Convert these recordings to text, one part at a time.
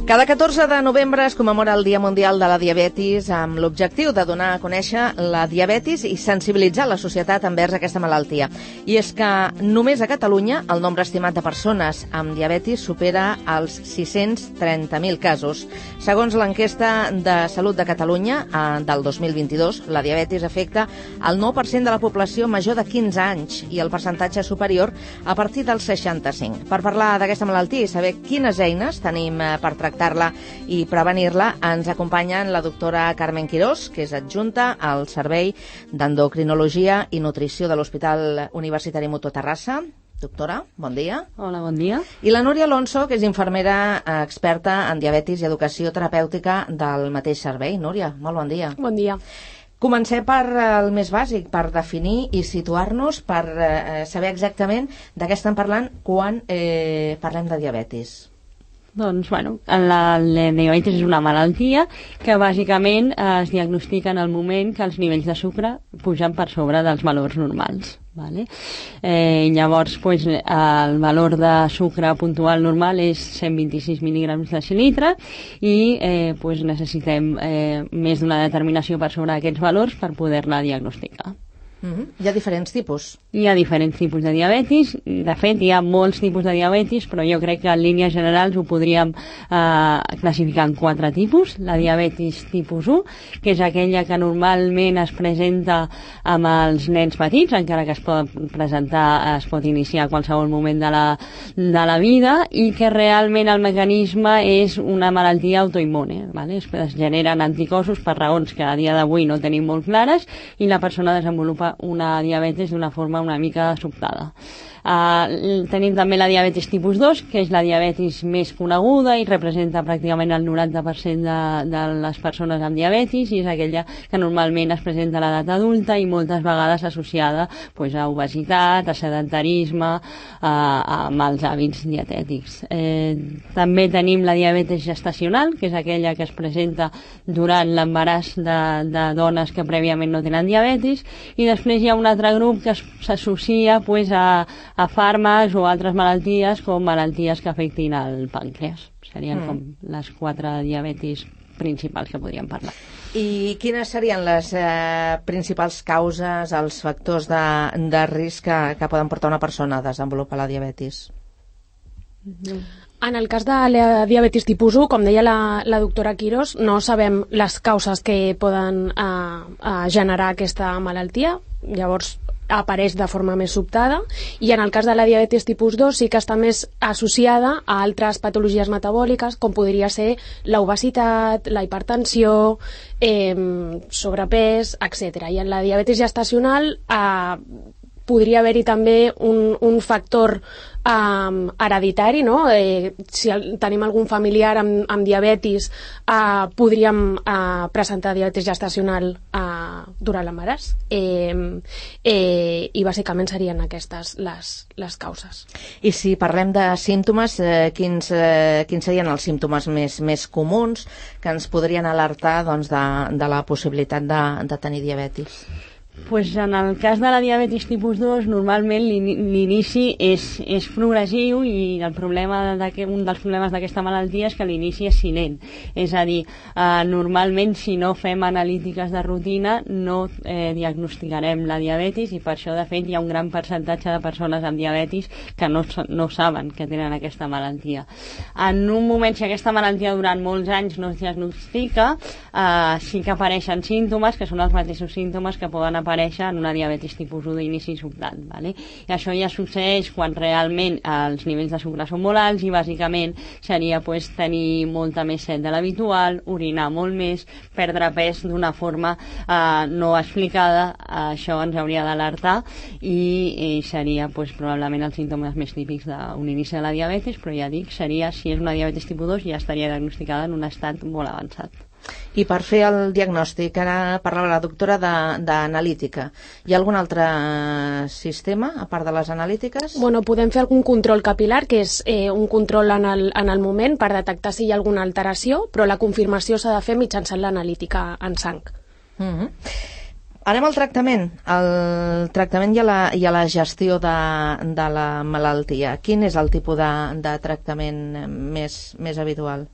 Cada 14 de novembre es commemora el Dia Mundial de la Diabetis amb l'objectiu de donar a conèixer la diabetis i sensibilitzar la societat envers aquesta malaltia. I és que només a Catalunya el nombre estimat de persones amb diabetis supera els 630.000 casos. Segons l'enquesta de Salut de Catalunya del 2022, la diabetis afecta el 9% de la població major de 15 anys i el percentatge superior a partir dels 65. Per parlar d'aquesta malaltia i saber quines eines tenim per tractar-la i prevenir-la, ens acompanyen la doctora Carmen Quirós, que és adjunta al Servei d'Endocrinologia i Nutrició de l'Hospital Universitari Mutua Terrassa. Doctora, bon dia. Hola, bon dia. I la Núria Alonso, que és infermera experta en diabetis i educació terapèutica del mateix servei. Núria, molt bon dia. Bon dia. Comencem per el més bàsic, per definir i situar-nos, per saber exactament de què estem parlant quan parlem de diabetis. Doncs, la diabetis és una malaltia que bàsicament es diagnostica en el moment que els nivells de sucre pugen per sobre dels valors normals. Vale? Llavors, el valor de sucre puntual normal és 126 mil·lígrams de decilitre i necessitem més d'una determinació per sobre d'aquests valors per poder-la diagnosticar. Hi ha diferents tipus. Hi ha diferents tipus de diabetis. De fet, hi ha molts tipus de diabetis, però jo crec que en línies generals ho podríem classificar en 4 tipus. La diabetis tipus 1, que és aquella que normalment es presenta amb els nens petits, encara que es pot iniciar a qualsevol moment de la vida, i que realment el mecanisme és una malaltia autoimmune. Vale? Es generen anticossos per raons que a dia d'avui no tenim molt clares i la persona desenvolupa una diabetis d'una forma una mica sobtada. Tenim també la diabetis tipus 2, que és la diabetis més coneguda i representa pràcticament el 90% de les persones amb diabetis, i és aquella que normalment es presenta a l'edat adulta i moltes vegades associada a obesitat, a sedentarisme, a mals hàbits dietètics. També tenim la diabetis gestacional, que és aquella que es presenta durant l'embaràs de dones que prèviament no tenen diabetis, i després hi ha un altre grup que s'associa a fàrmacs o altres malalties com malalties que afectin el pàncreas. Serien com les 4 diabetis principals que podríem parlar. I quines serien les principals causes, els factors de risc que poden portar una persona a desenvolupar la diabetis? En el cas de la diabetis tipus 1, com deia la doctora Quirós, no sabem les causes que poden generar aquesta malaltia. Llavors apareix de forma més sobtada, i en el cas de la diabetis tipus 2 sí que està més associada a altres patologies metabòliques, com podria ser l'obesitat, la hipertensió, sobrepès, etc. I en la diabetis gestacional podria haver-hi també un factor hereditari, no? Si tenim algun familiar amb diabetis, podríem presentar diabetis gestacional durant l'embaràs, i bàsicament serien aquestes les causes. I si parlem de símptomes, quins serien els símptomes més comuns que ens podrien alertar de la possibilitat de tenir diabetis? En el cas de la diabetis tipus 2, normalment l'inici és progressiu, i un dels problemes d'aquesta malaltia és que l'inici és silent. És a dir, normalment si no fem analítiques de rutina no diagnosticarem la diabetis, i per això de fet hi ha un gran percentatge de persones amb diabetis que no saben que tenen aquesta malaltia. En un moment, si aquesta malaltia durant molts anys no es diagnostica, sí que apareixen símptomes que són els mateixos símptomes que poden aparèixer en una diabetis tipus 1 d'inici sobtat. Vale? I això ja succeeix quan realment els nivells de sucre són molt alts, i bàsicament seria tenir molta més set de l'habitual, orinar molt més, perdre pes d'una forma no explicada. Això ens hauria d'alertar, i seria probablement els símptomes més típics d'un inici de la diabetis, però ja dic, seria, si és una diabetis tipus 2, ja estaria diagnosticada en un estat molt avançat. I per fer el diagnòstic, ara parlava la doctora d'analítica. Hi ha algun altre sistema, a part de les analítiques? Podem fer algun control capilar, que és un control en el moment per detectar si hi ha alguna alteració, però la confirmació s'ha de fer mitjançant l'analítica en sang. Anem al tractament. El tractament i a la gestió de la malaltia. Quin és el tipus de tractament més habitual?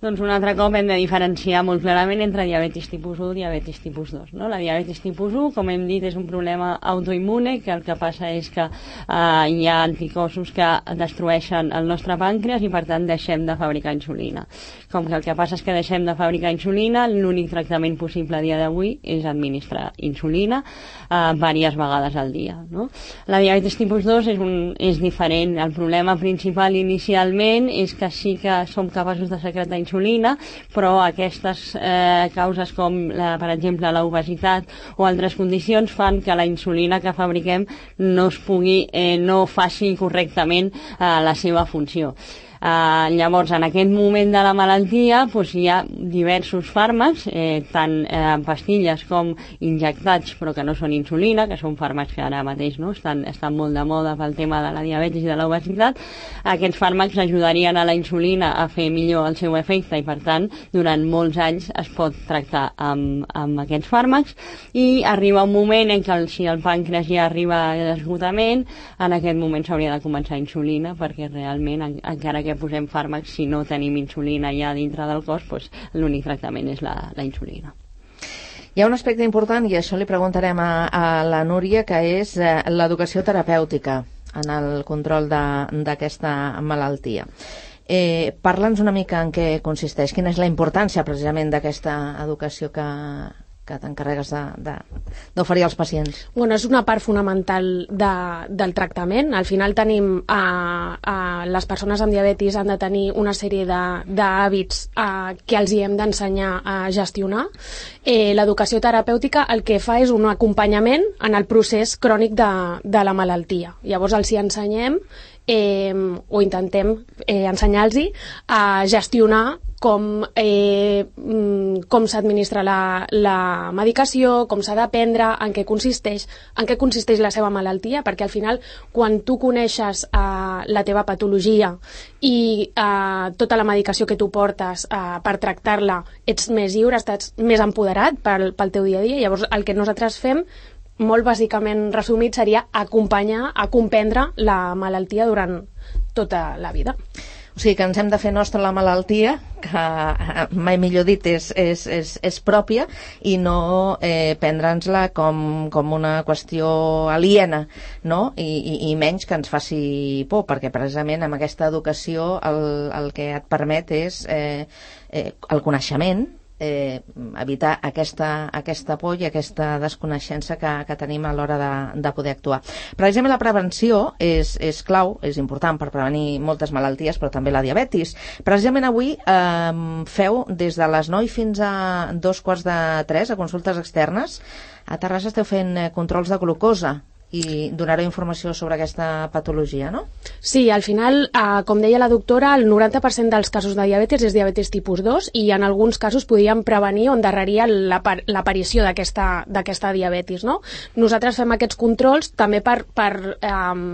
Doncs un altre cop hem de diferenciar molt clarament entre diabetis tipus 1 i diabetis tipus 2. No? La diabetis tipus 1, com hem dit, és un problema autoimmune, que el que passa és que hi ha anticossos que destrueixen el nostre pàncreas i per tant deixem de fabricar insulina. Com que el que passa és que deixem de fabricar insulina, l'únic tractament possible a dia d'avui és administrar insulina diverses vegades al dia. No? La diabetis tipus 2 és diferent. El problema principal inicialment és que sí que som capaços de secretar insulina, però aquestes causes com, per exemple, l'obesitat o altres condicions fan que la insulina que fabriquem no faci correctament la seva funció. Llavors, en aquest moment de la malaltia hi ha diversos fàrmacs, tant pastilles com injectats, però que no són insulina, que són fàrmacs que ara mateix estan molt de moda pel tema de la diabetis i de l'obesitat. Aquests fàrmacs ajudarien a la insulina a fer millor el seu efecte i, per tant, durant molts anys es pot tractar amb aquests fàrmacs, i arriba un moment en què si el pàncreas ja arriba a l'esgotament, en aquest moment s'hauria de començar insulina, perquè realment, encara que posem fàrmacs, si no tenim insulina ja dintre del cos, l'únic tractament és la insulina. Hi ha un aspecte important, i això li preguntarem a la Núria, que és l'educació terapèutica en el control d'aquesta malaltia. Parla'ns una mica en què consisteix, quina és la importància precisament d'aquesta educació que t'encarregues d'oferir als pacients. Bueno, és una part fonamental del tractament. Al final tenim les persones amb diabetis han de tenir una sèrie d'hàbits que els hi hem d'ensenyar a gestionar. L'educació terapèutica el que fa és un acompanyament en el procés crònic de la malaltia. Llavors els hi ensenyem o intentem ensenyar-los a gestionar com s'administra la medicació, com s'ha de prendre, en què consisteix la seva malaltia, perquè al final, quan tu coneixes la teva patologia i tota la medicació que tu portes per tractar-la, ets més lliure, estàs més empoderat pel teu dia a dia. Llavors, el que nosaltres fem, molt bàsicament resumit, seria acompanyar a comprendre la malaltia durant tota la vida. O sigui que ens hem de fer nostra la malaltia, que mai millor dit és pròpia, i no prendre'ns-la com una qüestió aliena, no? I menys que ens faci por, perquè precisament amb aquesta educació el que et permet és el coneixement, evitar aquesta por i aquesta desconeixença que tenim a l'hora de poder actuar. Precisament la prevenció és clau, és important per prevenir moltes malalties, però també la diabetis. Precisament avui feu des de les 9 fins a 2:45 a consultes externes. A Terrassa esteu fent controls de glucosa i donareu informació sobre aquesta patologia, no? Sí, al final, com deia la doctora, el 90% dels casos de diabetis és diabetis tipus 2 i en alguns casos podríem prevenir o endarrerir l'aparició d'aquesta diabetis, no? Nosaltres fem aquests controls també per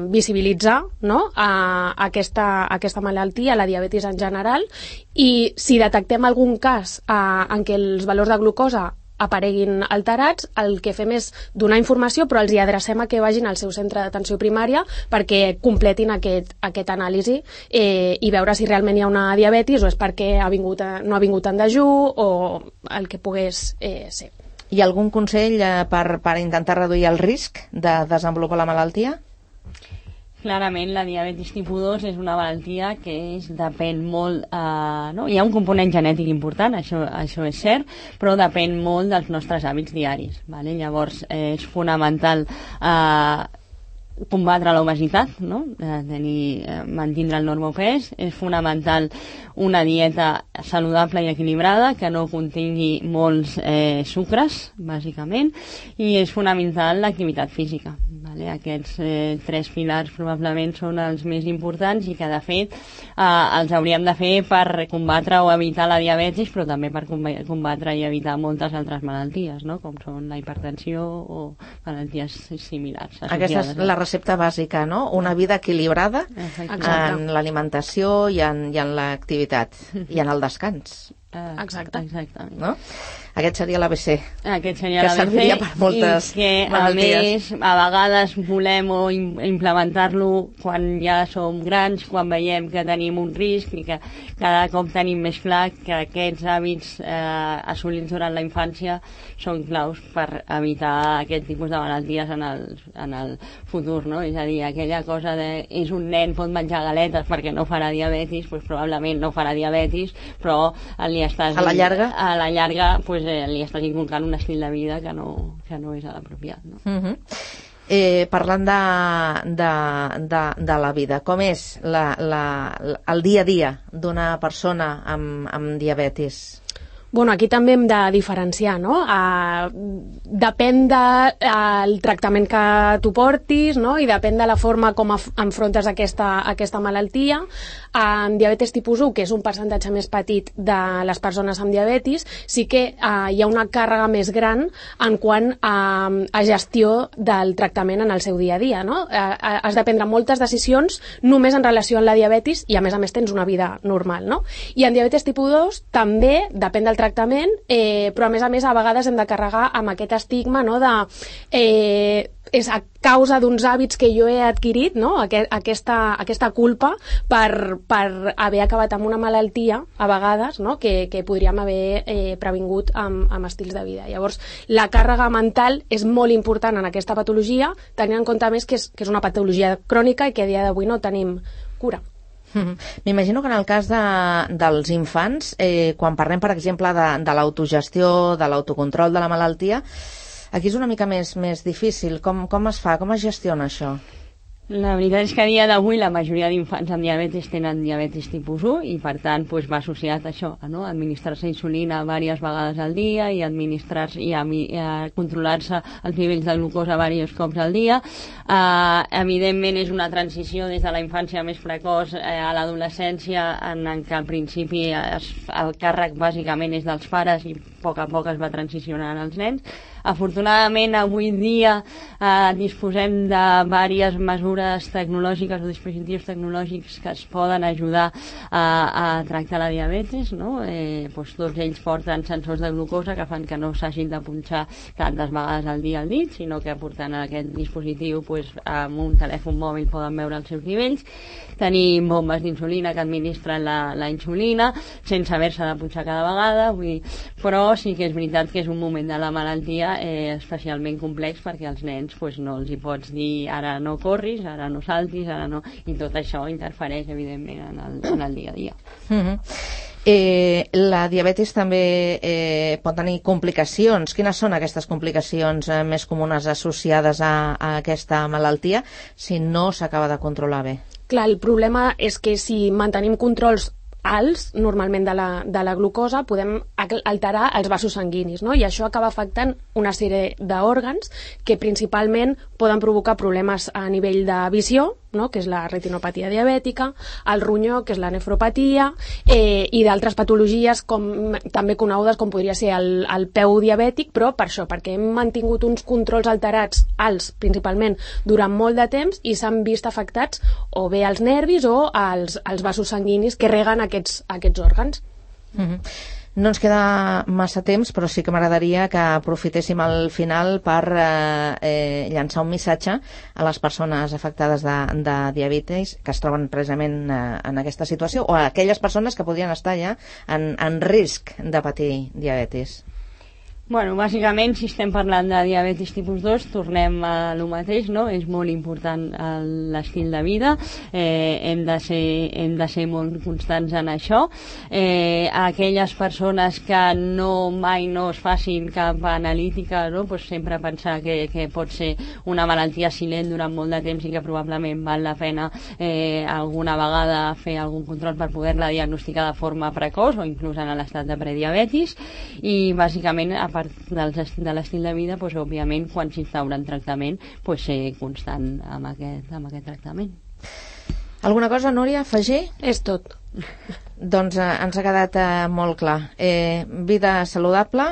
visibilitzar, no? aquesta malaltia, la diabetis en general, i si detectem algun cas en què els valors de glucosa apareguin alterats, el que fem és donar informació, però els hi adrecem a que vagin al seu centre d'atenció primària perquè completin aquest anàlisi i veure si realment hi ha una diabetis o és perquè no ha vingut en dejú o el que pogués ser. Hi ha algun consell per intentar reduir el risc de desenvolupar la malaltia? Clarament, la diabetis tipus 2 és una malaltia que depèn molt... no? Hi ha un component genètic important, això és cert, però depèn molt dels nostres hàbits diaris. Vale? Llavors, és fonamental combatre l'obesitat, no? Mantindre el normopès. És fonamental una dieta saludable i equilibrada que no contingui molts sucres, bàsicament, i és fonamental l'activitat física. Vale? Aquests 3 pilars probablement són els més importants i que de fet els hauríem de fer per combatre o evitar la diabetis, però també per combatre i evitar moltes altres malalties, no? Com són la hipertensió o malalties similars. Aquesta és la recepta bàsica, no? Una vida equilibrada en l'alimentació i en l'activitat i en el descans. Exacte. No? Aquest seria l'ABC. Aquest seria que l'ABC. serviria per moltes i que, malalties. A més, a vegades volem implementar-lo quan ja som grans, quan veiem que tenim un risc i que cada cop tenim més clar que aquests hàbits assolits durant la infància són claus per evitar aquest tipus de malalties en el futur, no? És a dir, aquella cosa de és un nen, pot menjar galetes perquè no farà diabetis, doncs probablement no farà diabetis, però li estàs... A la llarga? A la llarga, doncs, li estàs inculcant un estil de vida que no és l'apropiat, no? Parlant de la vida, com és el dia a dia d'una persona amb diabetis? Bueno, aquí també hem de diferenciar, no? Depèn del tractament que tu portis, no? I depèn de la forma com enfrontes aquesta malaltia. En diabetes tipus 1, que és un percentatge més petit de les persones amb diabetis, sí que hi ha una càrrega més gran en quant a gestió del tractament en el seu dia a dia, no? Has de prendre moltes decisions només en relació amb la diabetis i a més tens una vida normal, no? I en diabetes tipus 2 també depèn del tractament, però a més a vegades hem de carregar amb aquest estigma, no, és a causa d'uns hàbits que jo he adquirit, no? Aquesta culpa per haver acabat amb una malaltia a vegades, no? que podríem haver previngut amb estils de vida. Llavors, la càrrega mental és molt important en aquesta patologia, tenint en compte més que és una patologia crònica i que a dia d'avui no tenim cura. M'imagino que en el cas dels infants, quan parlem, per exemple, de l'autogestió, de l'autocontrol de la malaltia, aquí és una mica més difícil. Com es fa? Com es gestiona això? La veritat és que a dia d'avui la majoria d'infants amb diabetis tenen diabetis tipus 1 i per tant doncs, va associat a això, no? Administrar-se insulina diverses vegades al dia i administrar-se i controlar-se els nivells de glucosa diversos cops al dia. Evidentment és una transició des de la infància més precoç a l'adolescència en què al principi el càrrec bàsicament és dels pares i a poc es va transicionant als nens. Afortunadament, avui dia disposem de diverses mesures tecnològiques o dispositius tecnològics que es poden ajudar a tractar la diabetis, no? Tots ells porten sensors de glucosa que fan que no s'hagin de punxar tantes vegades al dia al dit, sinó que portant aquest dispositiu amb un telèfon mòbil poden veure els seus nivells. Tenim bombes d'insulina que administren la insulina sense haver-se de punxar cada vegada, però sí que és veritat que és un moment de la malaltia especialment complex perquè als nens no els hi pots dir ara no corris, ara no saltis, ara no... i tot això interfereix evidentment en el dia a dia. La diabetis també pot tenir complicacions. Quines són aquestes complicacions més comunes associades a aquesta malaltia si no s'acaba de controlar bé? Clar, el problema és que si mantenim controls alts, normalment de la glucosa, podem alterar els vasos sanguinis, no? I això acaba afectant una sèrie d'òrgans que principalment poden provocar problemes a nivell de visió, no? Que és la retinopatia diabètica, el ronyó, que és la nefropatia, i d'altres patologies també conegudes com podria ser el peu diabètic, però per això, perquè hem mantingut uns controls alterats alts, principalment, durant molt de temps i s'han vist afectats o bé els nervis o els vasos sanguinis que reguen aquests òrgans. No ens queda massa temps, però sí que m'agradaria que aprofitéssim al final per llançar un missatge a les persones afectades de diabetis que es troben precisament en aquesta situació o a aquelles persones que podrien estar ja en risc de patir diabetis. Bueno, bàsicament, si estem parlant de diabetis tipus 2, tornem a lo mateix, no? És molt important l'estil de vida, hem de ser molt constants en això. Aquelles persones que mai no es facin cap analítica, no? Pues sempre pensar que pot ser una malaltia silent durant molt de temps i que probablement val la pena alguna vegada fer algun control per poder-la diagnosticar de forma precoç o inclús en l'estat de prediabetis i bàsicament a part de l'estil de vida, òbviament, quan s'instaura en tractament, ser constant amb aquest tractament. Alguna cosa, Núria, afegir? És tot. Doncs ens ha quedat molt clar. Vida saludable,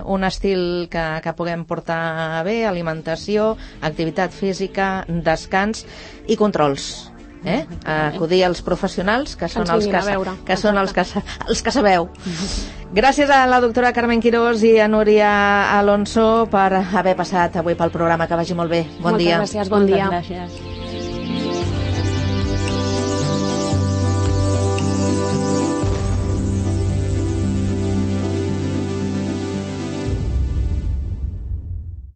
un estil que puguem portar bé, alimentació, activitat física, descans i controls. acudir als professionals, que són els que sabeu. Gràcies a la doctora Carmen Quirós i a Núria Alonso per haver passat avui pel programa. Que vagi molt bé. Bon dia. Moltes gràcies, bon dia. Gràcies.